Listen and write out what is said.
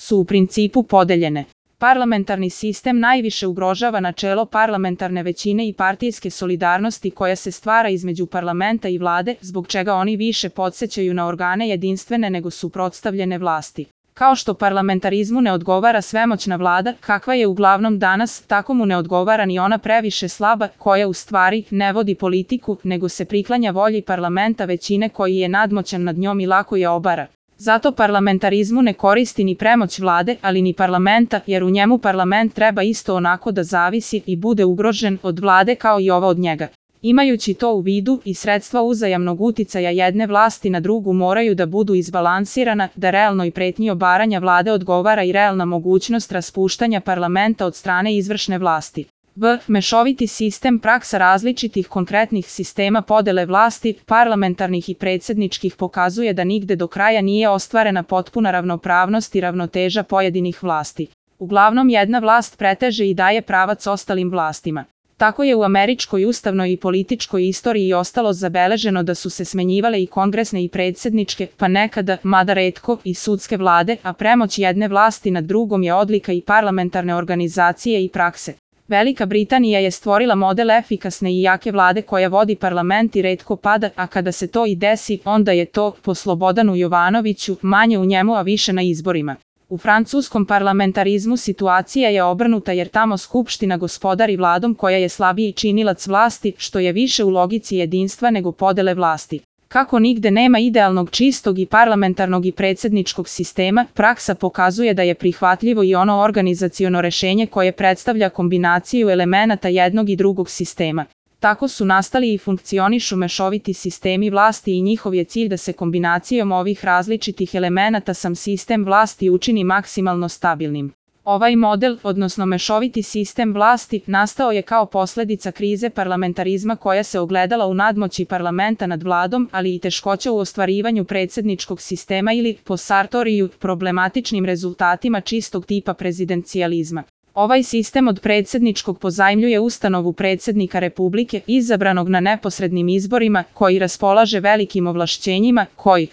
su u principu podeljene. Parlamentarni sistem najviše ugrožava načelo parlamentarne većine i partijske solidarnosti koja se stvara između parlamenta i vlade, zbog čega oni više podsećaju na organe jedinstvene nego suprotstavljene vlasti. Kao što parlamentarizmu ne odgovara svemoćna vlada, kakva je uglavnom danas, tako mu ne odgovara ni ona previše slaba, koja u stvari ne vodi politiku, nego se priklanja volji parlamenta većine koji je nadmoćan nad njom i lako je obara. Zato parlamentarizmu ne koristi ni premoć vlade, ali ni parlamenta, jer u njemu parlament treba isto onako da zavisi i bude ugrožen od vlade kao i ova od njega. Imajući to u vidu, i sredstva uzajamnog uticaja jedne vlasti na drugu moraju da budu izbalansirana, da realnoj pretnji obaranja vlade odgovara i realna mogućnost raspuštanja parlamenta od strane izvršne vlasti. Mešoviti sistem praksa različitih konkretnih sistema podele vlasti, parlamentarnih i predsjedničkih pokazuje da nigde do kraja nije ostvarena potpuna ravnopravnost i ravnoteža pojedinih vlasti. Uglavnom jedna vlast preteže i daje pravac ostalim vlastima. Tako je u američkoj ustavnoj i političkoj istoriji ostalo zabeleženo da su se smenjivale i kongresne i predsjedničke, pa nekada, mada retko, i sudske vlade, a premoć jedne vlasti nad drugom je odlika i parlamentarne organizacije i prakse. Velika Britanija je stvorila model efikasne i jake vlade koja vodi parlament i retko pada, a kada se to i desi, onda je to, po Slobodanu Jovanoviću, manje u njemu a više na izborima. U francuskom parlamentarizmu situacija je obrnuta jer tamo skupština gospodari vladom koja je slabiji činilac vlasti, što je više u logici jedinstva nego podele vlasti. Kako nigde nema idealnog čistog i parlamentarnog i predsjedničkog sistema, praksa pokazuje da je prihvatljivo i ono organizaciono rešenje koje predstavlja kombinaciju elemenata jednog i drugog sistema. Tako su nastali i funkcionišu mešoviti sistemi vlasti i njihov je cilj da se kombinacijom ovih različitih elemenata sam sistem vlasti učini maksimalno stabilnim. Ovaj model, odnosno mešoviti sistem vlasti, nastao je kao posljedica krize parlamentarizma koja se ogledala u nadmoći parlamenta nad vladom, ali i teškoća u ostvarivanju predsjedničkog sistema ili, po Sartoriju, problematičnim rezultatima čistog tipa prezidencijalizma. Ovaj sistem od predsjedničkog pozajmljuje ustanovu predsjednika Republike, izabranog na neposrednim izborima, koji raspolaže velikim ovlašćenjima, koji